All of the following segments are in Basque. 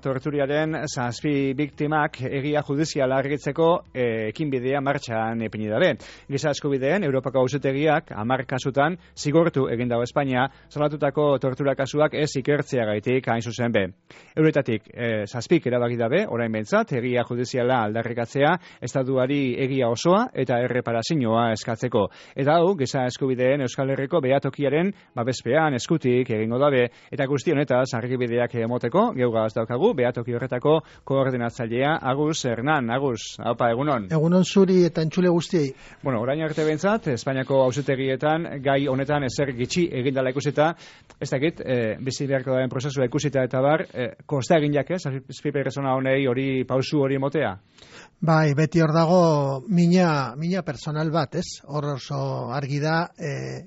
torturiaren 7 biktimak egia judiziala argitzeko ekinbidea martxan ipini dabe. Giza eskubideen Europako Auzitegiak 10 kasutan zigortu egin dago Espainia salatutako tortura kasuak ez ikertzeagaitik hain zuzen be. Euretatik 7 erabaki dabe orain behintzat egia judiziala aldarrikatzea estatuari egia osoa eta erreparazioa eskatzeko. Eta hau giza eskubideen Euskal Herriko behatokiaren babespean eskutik egingo dabe eta guzti honetaz argibideak emoteko geugaz daukagu behatoki horretako koordinatzailea Agus Hernan. Agus, haupa, egunon. Egunon zuri eta entzule guztiei. Bueno, orain arte behintzat, Espainiako auzitegietan gai honetan ezer gitxi egindala ikusita, ez dakit, bizi beharko daren prozesua ikusita eta bar, kosta egin jak ez, azpi pertsona honei hori pausu hori emotea? Bai, beti hor dago mina personal bat, ez? Hor oso argi da,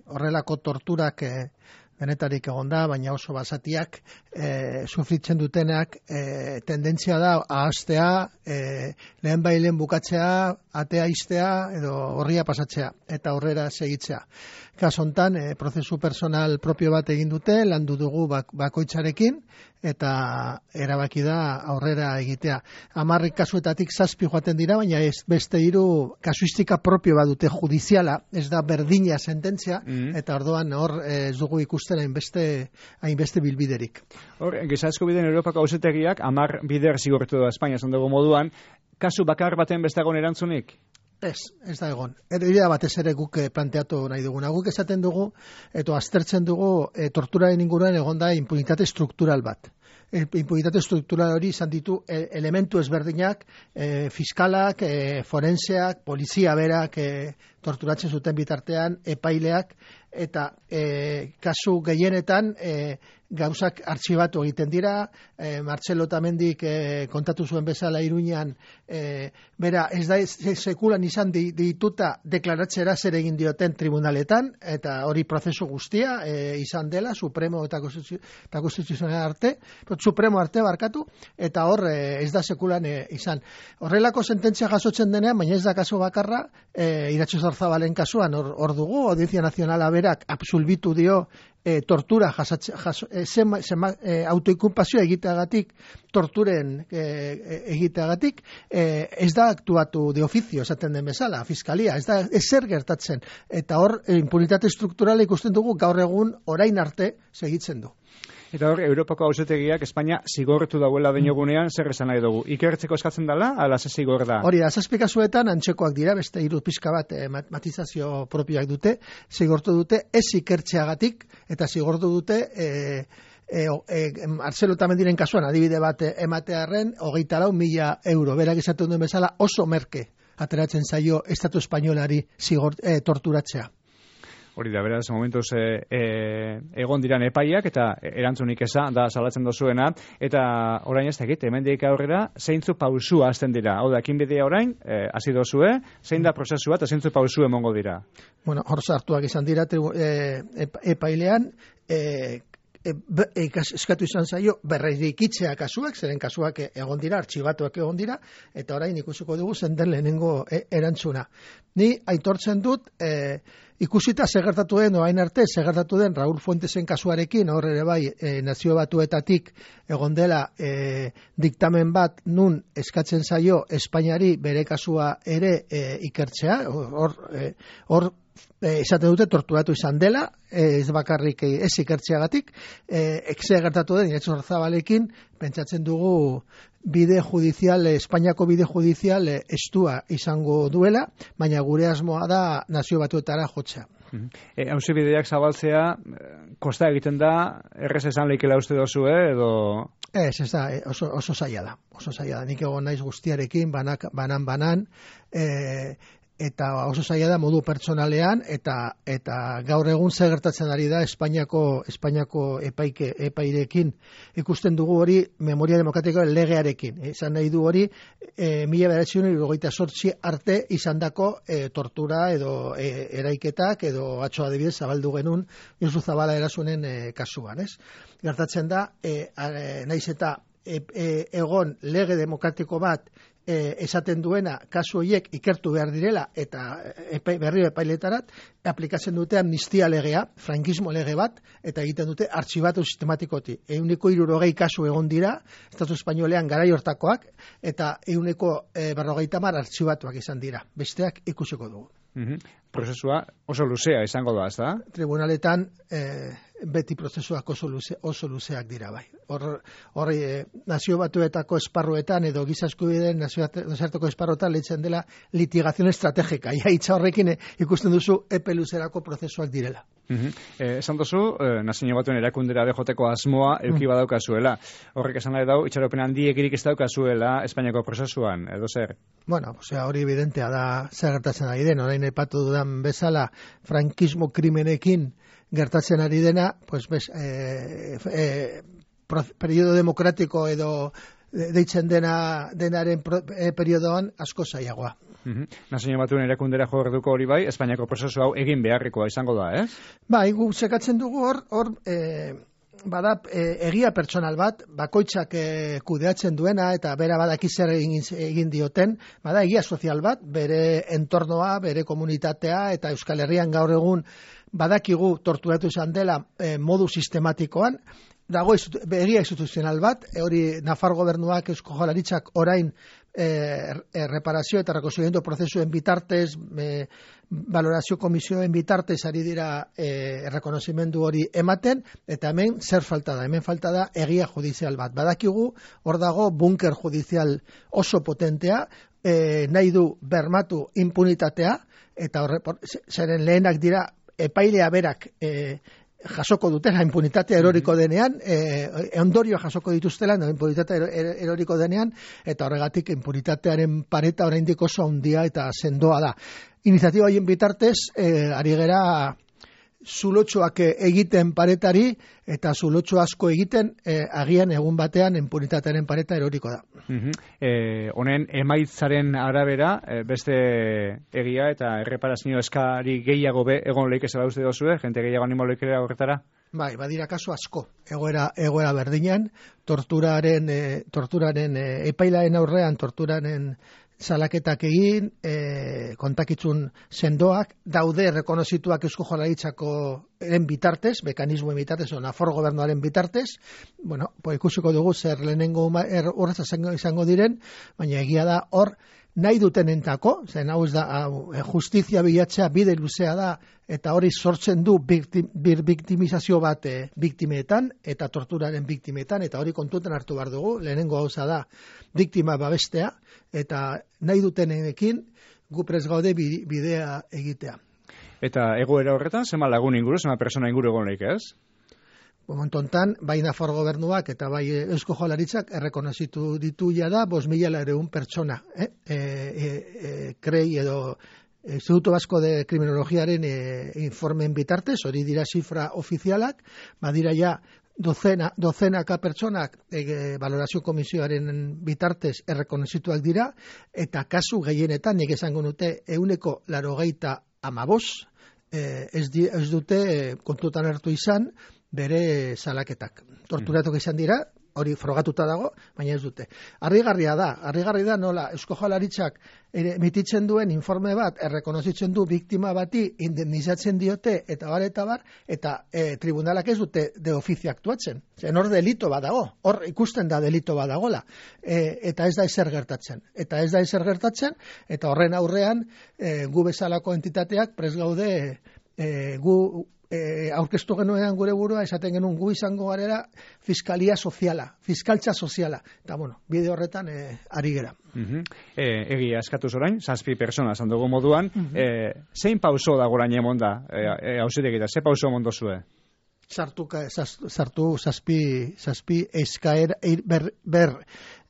horrelako torturak benetarik egon da, baina oso basatiak sufritzen dutenak tendentzia da ahaztea, lehen bailen bukatzea, atea iztea edo horria pasatzea eta horrera segitzea. Kaso hontan prozesu personal propio bat egin dute, landu dugu bakoitzarekin eta erabaki da aurrera egitea. 10 kasuetatik 7 joaten dira, baina beste 3 kasuistika propio bat dute judiziala, ez da berdina sententzia, eta orduan hor ez dugu ikusten hainbeste bilbiderik. Hor, giza eskubideen Europako Auzitegiak 10 bider zigortu da Espainia esan dugu moduan, kasu bakar baten bestagon erantzunik? Ez da egon. Idea batez ere guk planteatu nahi duguna. Guk esaten dugu, eta aztertzen dugu torturaren inguruan egon da impunitate struktural bat. Impunitate struktural hori izan ditu elementu ezberdinak, fiskalak, forenseak, polizia berak torturatzen zuten bitartean, epaileak, eta kasu gehienetan gauzak artxibatu egiten dira. Martxelo Otamendik kontatu zuen bezala Iruñan, bera ez da sekulan izan dituta deklaratzera zer egin dioten tribunaletan, eta hori prozesu guztia izan dela, Supremo eta Konstituzional arte, Supremo arte barkatu, eta hor ez da sekulan izan. Horrelako sententzia jasotzen denean, baina ez da kasu bakarra, Iratxo Zarzabalen kasuan hor dugu, Audientzia Nazionala berak absolbitu dio tortura autoinkulpazioa egiteagatik, torturen egiteagatik, ez da aktuatu de oficio, esaten den bezala, fiskalia, ez da ezer gertatzen, eta hor impunitate strukturala ikusten dugu gaur egun orain arte segitzen du. Eta hor, Europako Auzitegiak Espainia zigortu dauela dinogunean, zer esan nahi dugu? Ikertzeko eskatzen dela, ala ze zigor da? Hori da, 7 kasuetan antzekoak dira, beste 3 pixka bat matizazio propioak dute, zigortu dute ez ikertzeagatik, eta zigortu dute Martxelo Otamendiren kasuan adibide bat ematearren 24.000 euro. Berak esaten duen bezala oso merke ateratzen zaio Estatu Espainolari torturatzea. Hori da, beraz, momentuz egon diran epaiak eta erantzunik eza da salatzen dozuena, eta orain ez dakit, hemendik aurrera, zeintzu pausua hasten dira. Hau da, ekinbidea orain, hasi dozue, zein da prozesua eta zeintzu pausu emongo dira? Bueno, hor sartuak izan dira epailean, eskatu izan zaio berrikitzea kasuak, zeren kasuak egon dira, artxibatuak egon dira, eta orain ikusiko dugu zen den lehenengo erantzuna. Ni aitortzen dut, ikusita segertatu den, orain arte, segertatu den Raúl Fuentesen kasuarekin, hor ere bai, Nazio Batuetatik egon dela diktamen bat nun eskatzen zaio Espainiari bere kasua ere ikertzea, hor esaten dute torturatu izan dela, ez bakarrik ez ikertzeagatik, ekse gertatu den Iratxo Zarzabalekin, pentsatzen dugu bide judizial, Espainiako bide judizial estua izango duela, baina gure asmoa da Nazio Batuetara jotzea. Auzibideak zabaltzea, kosta egiten da, errez esan leikela uste dozu, edo... Ez da, oso zaila da. Oso zaila da. Nik egon naiz guztiarekin, banan, eta oso zaila da modu pertsonalean, eta gaur egun zer gertatzen ari da Espainiako epairekin. Ikusten dugu hori Memoria Demokratikoaren legearekin. Izan nahi du hori 1998 arte izandako tortura edo eraiketak edo atzo adibidez zabaldu genuen Josu Zabala erasunen kasuan, ez? Gertatzen da, naiz eta egon lege demokratiko bat esaten duena kasu horiek ikertu behar direla eta berriro epailetarat aplikatzen dute amnistia legea, frankismo lege bat, eta egiten dute artxibatu sistematikoti. 160 kasu egon dira, Estatu Espainolean garai hortakoak, eta 150 artxibatuak izan dira. Besteak ikusiko dugu. Prozesua oso luzea izango da, ez da? Tribunaletan beti prozesuak oso luzeak dira, bai. Horri nazio batuetako esparruetan edo giza eskubideen nazioarteko esparruetan leitzen dela litigazione estrategika. Hitza horrekin ikusten duzu epe luzerako prozesuak direla. Esan duzu, nazio batuen erakundera bejoteko asmoa euki badaukazuela. Horrek esan nahi dau, itxaropen handiekirik ez daukazuela Espainiako prozesuan, edo zer? Bueno, hori evidentea da zer gertatzen ari den, orain aipatu dudan bezala frankismo krimenekin gertatzen ari dena, pues periodo demokratiko edo deitzen denaren periodoan asko zailagoa. Nazio batuen erakundera jorduko hori bai, Espainiako prozesu hau egin beharrekoa izango da, ez? Bai, gu sekatzen dugu hor bada egia pertsonal bat, bakoitzak kudeatzen duena eta bera badaki zer egin dioten, bada egia sozial bat, bere entornoa, bere komunitatea eta Euskal Herrian gaur egun badakigu torturatu izan dela modu sistematikoan, dago egia instituzional bat, hori Nafar gobernuak Eusko Jaurlaritzak orain reparazio eta rekonstruimendu prozesuen bitartez, valorazio komisioen bitartez ari dira errekonozimendu hori ematen, eta hemen zer falta da? Hemen falta da egia judizial bat. Badakigu, hor dago bunker judizial oso potentea, nahi du bermatu impunitatea, eta zeren lehenak dira epailea berak jasoko dutela impunitatea eroriko denean, ondorio jasoko dituztela impunitatea eroriko denean, eta horregatik impunitatearen pareta oraindik oso handia eta sendoa da. Iniziatiba haien bitartez, ari gera zulotxoak egiten paretari, eta zulotxo asko egiten agian egun batean impunitatearen pareta eroriko da. Honen emaitzaren arabera, beste egia eta erreparazio eskari gehiago egon leik ez da uste dozue, jente gehiago animo leikera horretara? Bai, badira kasu asko, egoera berdinean, torturaren epailaen aurrean, torturaren salaketak egin, kontakitzun sendoak, daude rekonozituak Eusko Jaurlaritzaren bitartez, mekanismoen bitartez, o Nafar gobernuaren bitartez, bueno, ikusiko dugu zer lehenengo horretza izango diren, baina egia da hor, nahi dutenentako, zen hau ez da, justizia bilatzea bide luzea da, eta hori sortzen du biktimizazio bat biktimeetan, eta torturaren biktimeetan, eta hori kontutan hartu behar dugu, lehenengo gauza da, biktima babestea, eta nahi dutenekin gu prest gaude bidea egitea. Eta egoera horretan, zema lagun inguru, zema persona inguru egon leik, ez? Momentu hontan, bai Nafar gobernuak eta bai Eusko Jaurlaritzak errekonozitu ditu jada 5.200 pertsona. Krei edo Instituto Vasco de Kriminologiaren informen bitartez, hori dira zifra ofizialak, badira ja dozenaka pertsonak valorazio komisioaren bitartez errekonozituak dira, eta kasu gehienetan, nik esango nuke 95% ez dute kontutan hartu izan bere salaketak. Torturatok izan dira, hori frogatuta dago, baina ez dute. Harrigarri da nola Eusko Jaurlaritzak emititzen duen informe bat, errekonozitzen du biktima bati indemnizatzen diote, eta bar, eta tribunalak ez dute de ofizio aktuatzen. Zen hor delito badago, hor ikusten da delito badagola, eta ez da ezer gertatzen. Eta horren aurrean, gu bezalako entitateak prest gaude gu aurkeztu genuen gure burua, esaten genuen gu izango garela fiskaltza soziala. Eta bueno, bide horretan ari gera. Egia eskatuz orain, 7 persona esan dugu moduan, zein pauso da gorain emon da, hausitekita, ze pauso emon dozue? Sartu 7 eskaera,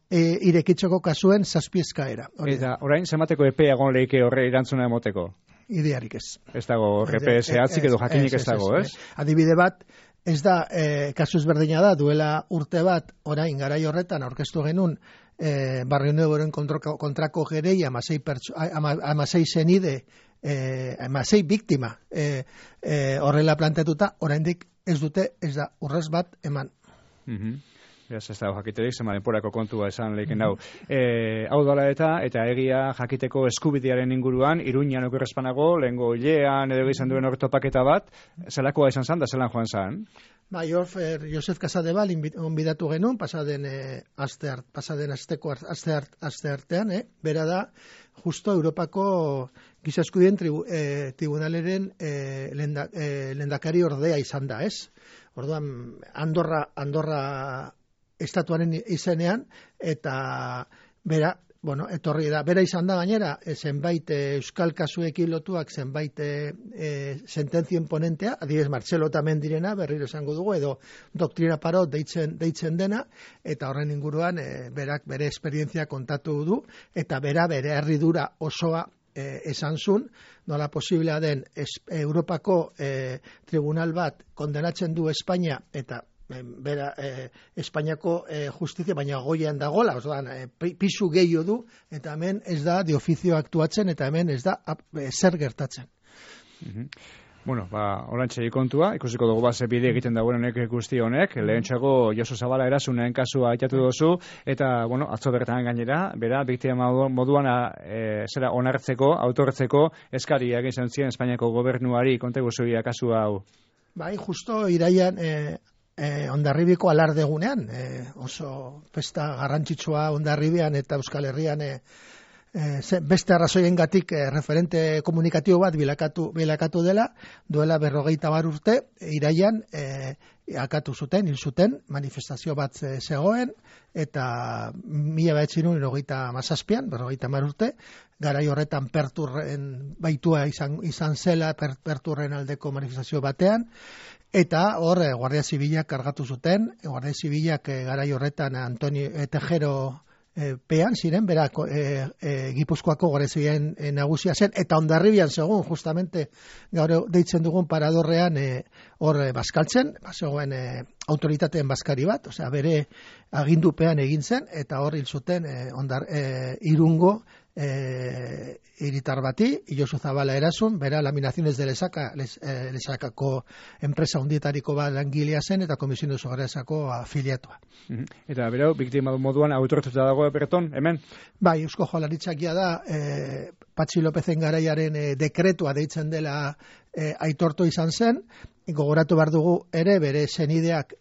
irekitzeko kasuen 7 eskaera. Eta orain, zemateko epea egon leike horre erantzuna emoteko? Idearik ez. Ez dago, RPS atzik edo jakinik ez dago, ez? Adibide bat, ez da, kasu ezberdina da, duela urte bat, orain garai horretan aurkeztu genuen, Barrio Nuevoren kontrako gerei 16 zenide, 16 biktima horrela planteatuta, oraindik ez da urrez bat eman. Ez da jakiterik, zema denporako kontua esan lehiken hau. Hau dala eta egia jakiteko eskubidearen inguruan, Iruñan okerrezpanago, lehengo hilean edo izan duen ortopaketa bat, zelakoa izan zan da zelan joan zan? Josef Casadebal onbidatu genuen, pasaden aste artean, bera da, justo Europako Giza Eskubideen Tribunaleren lehendakari ordea izan da, ez? Orduan, Andorra estatuaren izenean, eta bera, etorri da, bera izan da gainera, zenbait euskal kasuekin lotuak, zenbait sententzien ponentea, adibidez Martxelo tamen direna, berriro esango dugu, edo doktrina parot deitzen dena, eta horren inguruan berak bere esperientzia kontatu du, eta bere herridura osoa esan zun, nola posiblea den Europako tribunal bat kondenatzen du Espainia, eta bera Espainiako justizia, baina goian dagola, pisu gehiago du, eta hemen ez da de ofizio aktuatzen, eta hemen ez da zer gertatzen. Bueno, orantxe kontua, ikusiko dugu ze bide egiten dagoen honek guzti honek, lehentxago Josu Zabala erasunen kasua aitatu duzu, eta, atzo bertan gainera, bera, biktima moduan zera onartzeko, autortzeko, eskari egin zen zien Espainiako gobernuari, konte guzuia kasua hau. Bai, justo iraian Hondarribiko alardegunean, oso festa garrantzitsua Hondarribian eta Euskal Herrian beste arrazoiengatik referente komunikatibo bat bilakatu dela, duela 50 urte, iraian hil zuten, manifestazio bat zegoen, eta 1997an, 50 urte, garai horretan Perturren baitua izan zela, Perturren aldeko manifestazio batean, eta hor Guardia Zibilak kargatu zuten, Guardia Zibilak garai horretan Antonio Tejero pean ziren, berak Gipuzkoako Guardia Zibilen nagusia zen, eta Hondarribian segun, justamente gaur deitzen dugun paradorrean hor bazkaltzen, zegoen autoritateen bazkari bat, osea bere agindupean egin zen, eta hor hil zuten Irungo hiritar bati, Josu Zabala erasun, bera Laminaciones de Lesakako enpresa hundietariko bat langilea zen, eta Komisio de Sogaresako afiliatua. Eta berau, biktima moduan autortuta dago berton, hemen? Bai, Eusko Jaurlaritzakia da, Patxi Lopezen garaiaren dekretua deitzen dela aitortu izan zen, gogoratu behar dugu ere, bere senideak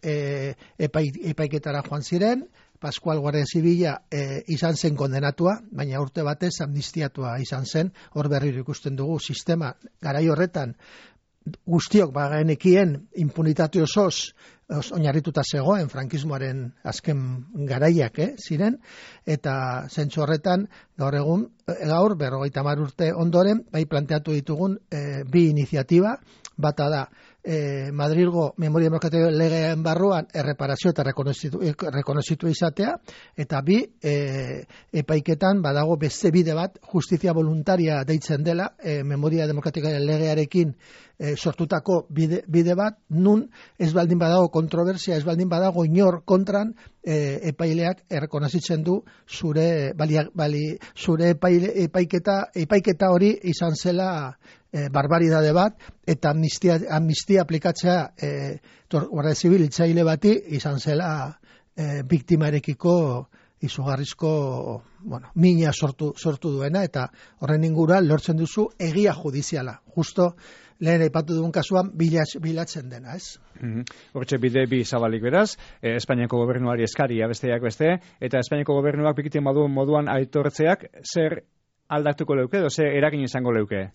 epaiketara joan ziren, Pascual Guardia Zibila izan zen kondenatua, baina urte batez amnistiatua izan zen, hor berriro ikusten dugu sistema garai horretan guztiok bagenekien impunitate osoz oinarrituta zegoen frankismoaren azken garaiak ziren, eta zentzu horretan gaur 50 urte ondoren, bai planteatu ditugun bi iniziatiba, bata da Madrilgo Memoria Demokratiko legean barruan erreparazio eta rekonozitu izatea, eta bi epaiketan badago beste bide bat, justizia voluntaria deitzen dela, Memoria Demokratikoaren legearekin sortutako bide bat, nun ez baldin badago kontroversia, ez baldin badago inor kontran, epaileak errekonozitzen du zure epaiketa hori izan zela barbaridade bat, eta amnistia aplikatzea Guardia Zibil hitzaile bati izan zela biktimarekiko izugarrizko mina sortu duena, eta horren inguruan lortzen duzu egia judiziala. Justo lehen aipatu dugun kasuan bilatzen dena, ez? Hortxe bide bi zabalik beraz, Espainiako gobernuari eskaria besteak beste, eta Espainiako gobernuak biktima moduan aitortzeak zer aldatuko leuke, edo zer eragin izango leuke?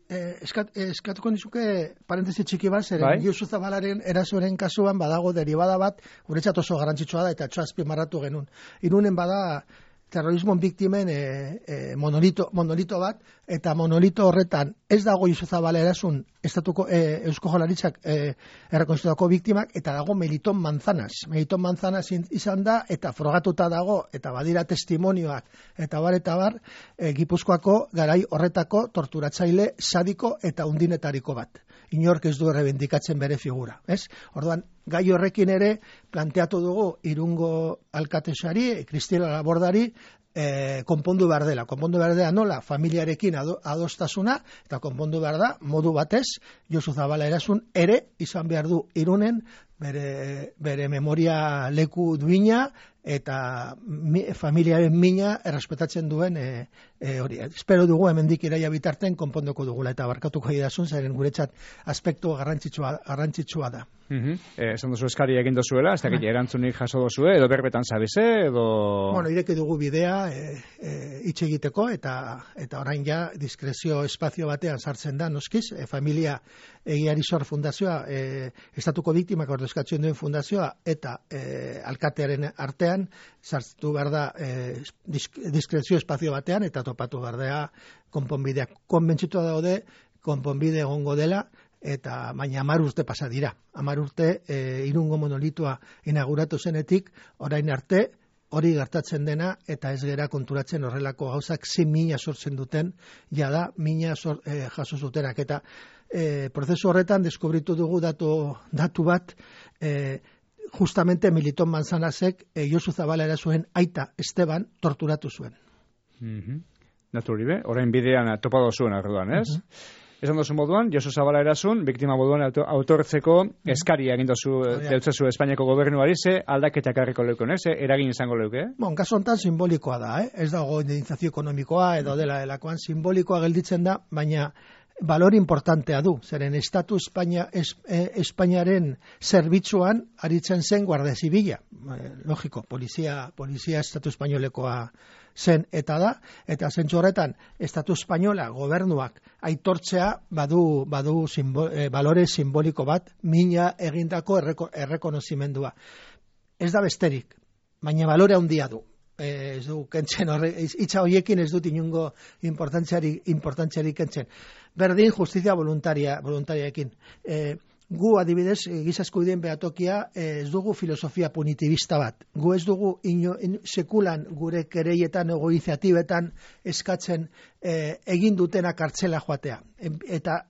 Eskatuko nizuke parentesi txiki bat, zeren Josu Zabalaren erasoren kasuan badago derivada bat, guretzat oso garrantzitsua da, eta azpimarratu genuen. Irunen bada terrorismo biktimen monolito bat, eta monolito horretan ez dago Josu Zabala erasun estatuko Eusko Jaurlaritzak errekonozitutako biktimak, eta dago Meliton Manzanas. Meliton Manzanas izan da, eta frogatuta dago, eta badira testimonioak, eta bar, Gipuzkoako garai horretako torturatzaile sadiko eta undinetariko bat. Inork ez du errebendikatzen bere figura, ez? Orduan, gai horrekin ere planteatu dugu Irungo alkatesari, Kristina Labordari, konpondu behar dela. Konpondu behar dela nola, familiarekin adostasuna, eta konpondu behar da, modu batez, Josu Zabala erasun ere izan behar du Irunen bere memoria leku duina eta familiaren mina errespetatzen duen hori. Espero dugu hemendik iraia bitarten konpondoko dugula eta barkatuko idazun, zeren guretzat aspektu garrantzitsua da. Esan duzu eskari egin dozuela, ez dakit erantzunik jaso dozue, edo berbetan zabize, edo... Bueno, ireki dugu bidea hitz egiteko, eta orain ja diskrezio espazio batean sartzen da, noskiz, familia egiari zor fundazioa, estatuko biktimak ordezkatzen duen fundazioa, eta alkatearen artean, sartu behar da diskrezio espazio batean, eta topatu behar da konponbideak. Konbentzitua daude, konponbide egongo dela, eta baina 10 urte pasa dira. 10 urte Irungo monolitua inauguratu zenetik, orain arte, hori gertatzen dena, eta ez gera konturatzen horrelako gauzak 6.000 sortzen duten, jada 1.000 jaso zutenak. Eta prozesu horretan deskubritu dugu datu bat, justamente Militon Manzanasek Josu Zabalera zuen aita Esteban torturatu zuen. Naturri be, orain bidean topado zuen arduan, ez? Esan dozu moduan, Josu Zabala erasun, biktima moduan autortzeko eskaria egin dozu deutzezu Espainiako gobernuari, ze aldaketak harriko leukon, ze eragin izango leuke? Kasu honetan simbolikoa da, ez dago indemnizazio ekonomikoa edo dela delakoan, simbolikoa gelditzen da, baina balor importantea du, zeren Estatu Espainiaren zerbitzuan aritzen zen Guardia Zibila, logiko, polizia Estatu Espainolekoa zen eta da, eta zentzu horretan Estatu Espainola gobernuak aitortzea badu balore simboliko bat, mina egindako errekonozimendua. Ez da besterik, baina balore handia du. Ez du kentzen hitza horiekin ez dut inungo importantziari kentzen. Berdin justizia voluntariaekin. Gu adibidez, giza eskubideen behatokia ez dugu filosofia punitibista bat. Gu ez dugu sekulan gure kereietan ego iniziatibetan eskatzen egin dutena kartzela joatea. Eta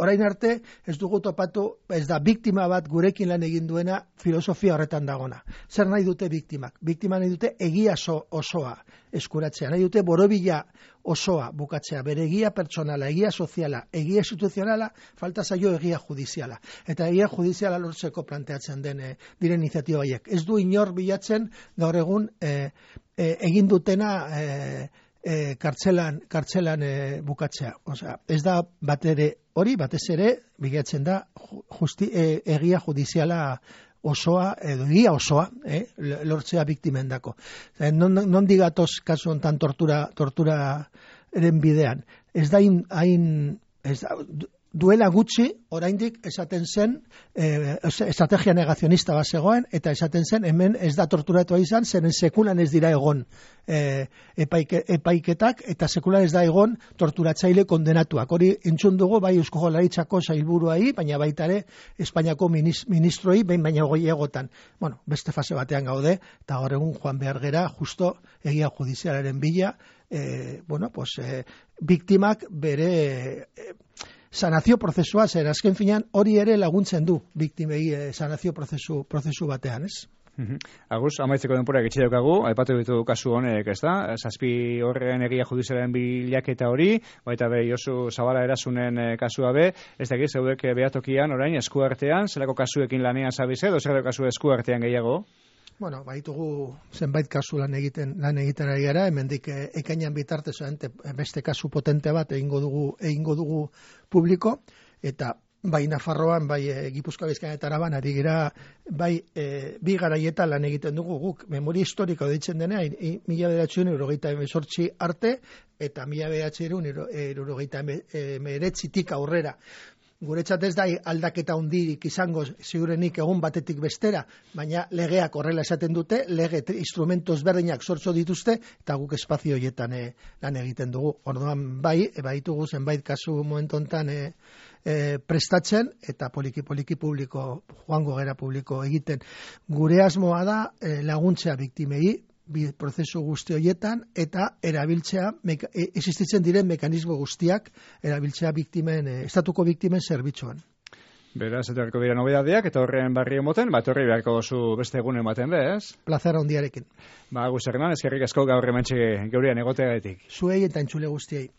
orain arte ez dugu topatu, ez da biktima bat gurekin lan egin duena filosofia horretan dagona. Zer nahi dute biktimak? Biktima nahi dute egia osoa eskuratzea, nahi dute borobila osoa bukatzea, bere egia pertsonala, egia soziala, egia instituzionala, falta zaio egia judiziala. Eta egia judiziala lortzeko planteatzen diren iniziatiba haiek. Ez du inor bilatzen gaur egun egin dutena kartzelan bukatzea. Osea, ez da batez ere bilatzen da egia judiziala osoa, edo egia osoa, lortzea biktimendako. Non digatoz kasu honetan torturaren bidean. Ez da duela gutxi, oraindik esaten zen, estrategia negazionista bat zegoen, eta esaten zen, hemen ez da torturatua izan, zeren sekulan ez dira egon epaiketak, eta sekulan ez da egon torturatzaile kondenatuak. Hori entzun dugu, bai Eusko Jaurlaritzako sailburuai, baina baita ere Espainiako ministroi, baina goiegotan. Bueno, beste fase batean gaude, eta gaur egun joan behar gera, justo egia judizialaren bila, biktimak bere sanazio prozesua, zer azken finean hori ere laguntzen du biktimei sanazio prozesu batean, ez? Agus, amaitzeko denporak etxe daukagu, aipatu ditu kasu honek, ez da? 7 horren egia judizialaren bilaketa hori, baita be Josu Zabala erasunen kasua be, ez da egiz, zeudek behatokian orain eskuartean, zelako kasuekin lanean zabize, edo zelako kasu eskuartean gehiago? Bueno, baitugu zenbait kasu lan egiten ari gara, hemendik ekainan bitartez beste kasu potente bat egingo dugu publiko, eta bai Nafarroan, bai Gipuzkoa, Bizkaia eta Araban ari gira, bai bi garaietan lan egiten dugu guk memoria historiko deitzen dena 1998 arte eta 1999tik aurrera. Guretzat ez da aldaketa hundirik izango ziurenik egun batetik bestera, baina legeak horrela esaten dute, lege instrumentu ezberdinak sortzo dituzte, eta guk espazio horietan lan egiten dugu. Orduan baitugu zenbait kasu momentu honetan prestatzen, eta poliki publiko, joango gera publiko egiten. Gure asmoa da laguntzea biktimei, prozesu guzti horietan, eta erabiltzea, existitzen diren mekanismo guztiak, erabiltzea estatuko biktimen zerbitzuan. Beraz, etorriko dira nobedadeak, eta horren barri emoten, horri beharko dozu beste egunen baten bez? Plazera hondiarekin. Gus Hernan, eskerrik asko gaur hementxe geurean egoteagatik. Zuei eta entzule guztiei.